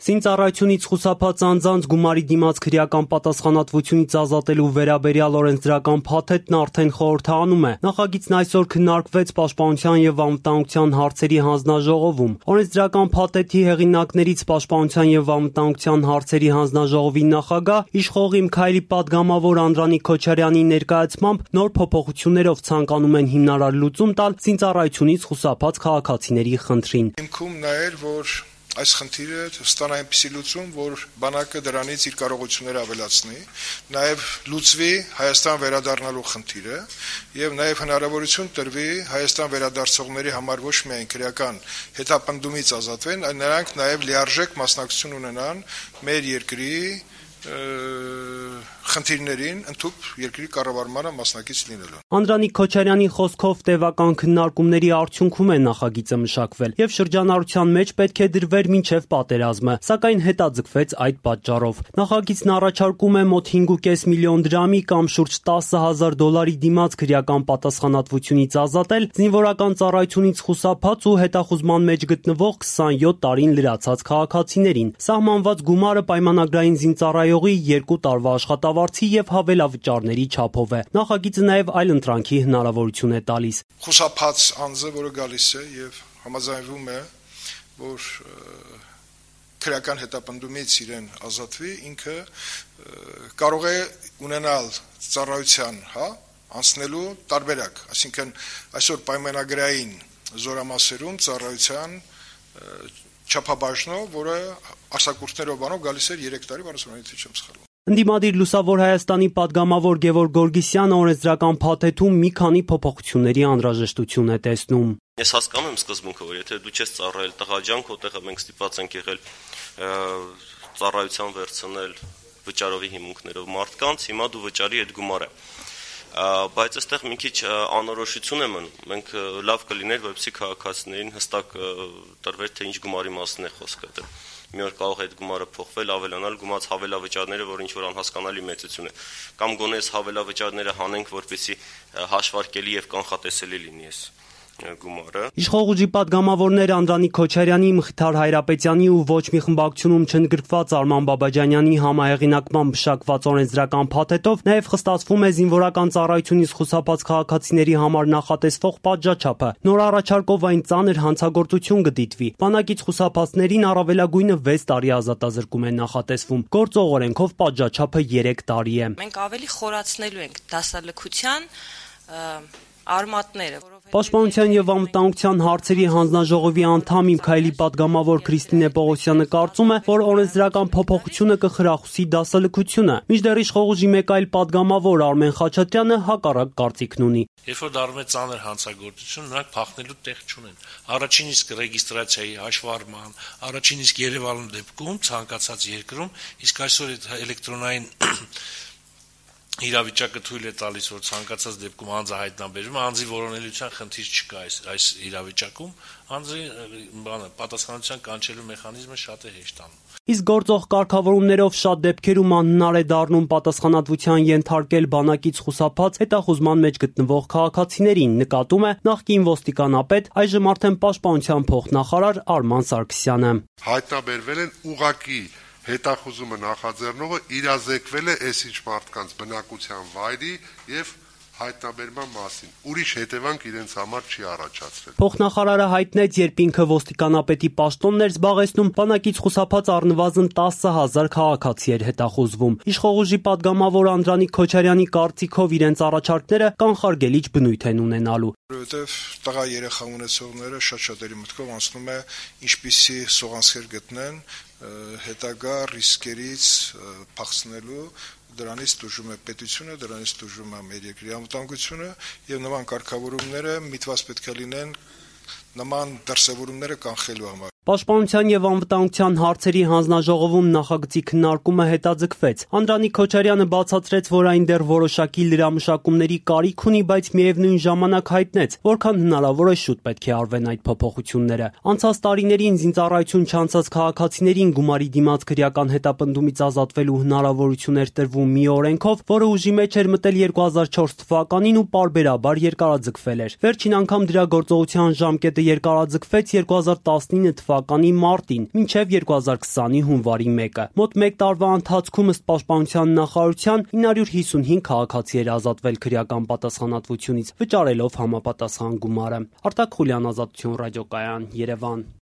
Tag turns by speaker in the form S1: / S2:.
S1: Զինծառայությունից խուսափած անձանց գումարի դիմաց քրեական պատասխանատվությունից ազատելու վերաբերյալ օրենսդրական փաթեթն արդեն խորհրդանում է։ Նախագիծն այսօր քննարկվեց Պաշտպանության եւ անվտանգության հարցերի հանձնաժողովում։ Օրենսդրական փաթեթի հեղինակներից Պաշտպանության եւ անվտանգության հարցերի հանձնաժողովի նախագահ իշխող Միքայելի պատգամավոր Անդրանիկ Քոչարյանի ներկայացմամբ նոր փոփոխություններով ցանկանում են հիմնարար լուծում տալ զինծառայությունից խուսափած քաղաքացիների խնդրին։
S2: Հիմքում նա էր, որ այս խնդիրը ստանա այնպիսի լուծում, որ բանակը դրանից իր կարողությունները ավելացնի, նաև լուծվի Հայաստան վերադառնալու խնդիրը եւ նաև հնարավորություն տրվի Հայաստան վերադարձողների համար ոչ միայն քրեական հետապնդումից ազատվեն, այլ նրանք նաև լիարժեք մասնակցություն ունենան մեր երկրի խնդիրներին ընդհանուր երկրի կառավարմանը մասնակից լինելու։
S1: Անդրանիկ Քոչարյանի խոսքով տևական քննարկումների արդյունքում է նախագիծը մշակվել եւ շրջանառության մեջ պետք է դրվեր մինչեւ պատերազմը, սակայն հետաձգվեց այդ պատճառով։ Նախագիծն առաջարկում է մոտ 5.5 միլիոն դրամի կամ շուրջ $10,000 դիմաց քրեական պատասխանատվությունից ազատել զինվորական ծառայությունից խուսափած ու հետախուզման մեջ գտնվող 27 տարին լրացած քաղաքացիներին։ Սահմանված գումարը պայմանագրային զինծառայողի 2 տարվա աշխատավարձի եւ հավելավճարների չափով է։ Նախագիծը նաեւ այլընտրանքի հնարավորություն է տալիս։
S2: Խուսափած անձը, որը գալիս է եւ համաձայնվում է, որ քրեական հետապնդումից իրեն ազատվի, ինքը կարող է ունենալ ծառայության, անցնելու տարբերակ, այսինքն այսօր պայմանագրային զորամասերում ծառայության չափաբաժնով, որը աշակուրտներով բանով գալիս էր 3 տարի, բանասուրանից չեմ սխալվում։
S1: Ընդդիմադիր Լուսավոր Հայաստանի պատգամավոր Գևորգ Գորգիսյանը օրենսդրական փաթեթում մի քանի փոփոխությունների անհրաժեշտություն է տեսնում։
S3: Ես հասկանում եմ սկզբունքը, որ եթե դու չես ծառայել տղաջանք, որտեղ մենք ստիպված ենք եղել ծառայության վերցնել վճարովի հիմունքներով մարդկանց, հիմա դու վճարի այդ գումարը։ Բայց այստեղ մի քիչ անորոշություն է մնում։ Մենք լավ կլիներ, որպեսզի քաղաքացիներին հստակ տրվեր, թե ինչ գումարի մասին է խոսքը։ Մի օր կարող է այդ գումարը փոխվել, ավելանալ գումարած հավելավճարները, որ ինչ որ անհասկանալի մեծություն է, կամ գոնե այս հավելավճարները հանենք, որպեսզի հաշվարկելի եւ կանխատեսելի լինի այս գումարը։
S1: Իշխող ուժի պատգամավորներ Անդրանիկ Քոչարյանի, Մխիթար Հայրապետյանի ու ոչ մի խմբակցությունում չընդգրկված Արման Բաբաջանյանի համահեղինակմամբ մշակված օրենսդրական փաթեթով նաև խստացվում է զինվորական ծառայությունից խուսափած քաղաքացիների համար նախատեսվող պատժաչափը։ Նոր առաջարկով այն ծանր հանցագործություն կդիտվի։ Բանակից խուսափածներին առավելագույնը 6 տարի ազատազրկում է նախատեսվում։ Գործող օրենքով պատժաչափը 3 տարի է։
S4: Մենք ավելի խորացնելու ենք դասալքության արմատները։
S1: Պաշտպանության եւ անվտանգության հարցերի հանձնաժողովի անդամ Միքայելի պատգամավոր Քրիստինե Պողոսյանը կարծում է, որ օրենսդրական փոփոխությունը կխրախուսի դասալքությունը։ Մինչդեռ իշխող ուժի մեկ այլ պատգամավոր Արմեն Խաչատրյանը հակառակ կարծիքն ունի։
S5: Երբ որ դառնում է ծանր հանցագործություն, նրանք փախնելու տեղ չունեն։ Առաջին իսկ ռեգիստրացիայի հաշվառման, առաջին իսկ Երևանում դեպքում ցանկացած երկրում, իսկ այսօր այդ էլեկտրոնային իրավիճակը թույլ է տալիս, որ ցանկացած դեպքում անձը հայտնաբերվում, անձի որոնելիության խնդիր չկա այս իրավիճակում, անձի պատասխանատվության կանչելու մեխանիզմը շատ է հեշտանում։
S1: Իսկ գործող կարգավորումներով շատ դեպքերում անհնար է դառնում պատասխանատվության ենթարկել բանակից խուսափած հետախուզման մեջ գտնվող քաղաքացիներին, նկատում է նախկին ոստիկանապետ, այժմ արդեն Պաշտպանության փոխնախարար Արման Սարգսյանը։
S6: Հայտնաբերվել են ուղղակի հետախուզումը նախաձեռնողը իրազեկվել է այսինչ մարդկանց բնակության վայրի եւ հայտնաբերման մասին։ Ուրիշ հետևանք իրենց համար չի առաջացրել։
S1: Փոխնախարարը հայտնեց, երբ ինքը ոստիկանապետի պաշտոնն էր զբաղեցնում, բանակից խուսափած առնվազն 10,000 քաղաքացի էր հետախուզվում։ Իշխող ուժի պատգամավոր Անդրանիկ Քոչարյանի կարծիքով իրենց առաջարկները կանխարգելիչ բնույթ են ունենալու։
S2: Որովհետև տղա երեխա ունեցողները շատ-շատերի մտքով անցնում է ինչպիսի սողանցքեր գտնեն հետագա ռիսկերից փախցնելու, դրանից տուժում է պետությունը, դրանից տուժում է մեր երկրի անվտանգությունը եւ նման կարգավորումները միտված պետք է լինեն նման դրսևորումները կանխելու համար։
S1: Պաշտպանության եւ անվտանգության հարցերի հանձնաժողովում նախագծի քննարկումը հետաձգվեց։ Անդրանիկ Քոչարյանը բացատրեց, որ այն դեռ որոշակի լրամշակումների կարիք ունի, բայց միևնույն ժամանակ հայտնեց, որքան հնարավոր է շուտ պետք է արվեն այդ փոփոխությունները։ Անցած տարիներին զինծառայություն չանցած քաղաքացիներին գումարի դիմաց քրեական հետապնդումից ազատվելու հնարավորություն էր տրվում մի օրենքով, որը ուժի մեջ էր մտել 2004 թվականին ու պարբերաբար երկարաձգվել էր։ Վերջին անգամ դրա գործողության ժամկետը երկարաձգվեց 2019 թվականի մարտին մինչև 2020-ի հունվարի 1-ը։ Մոտ 1 տարվա ընթացքում ըստ Պաշտպանության նախարարության 955 քաղաքացի էր ազատվել քրեական պատասխանատվությունից, վճարելով համապատասխան գումարը։ Արտակ Խուլյան, Ազատություն ռադիոկայան, Երևան։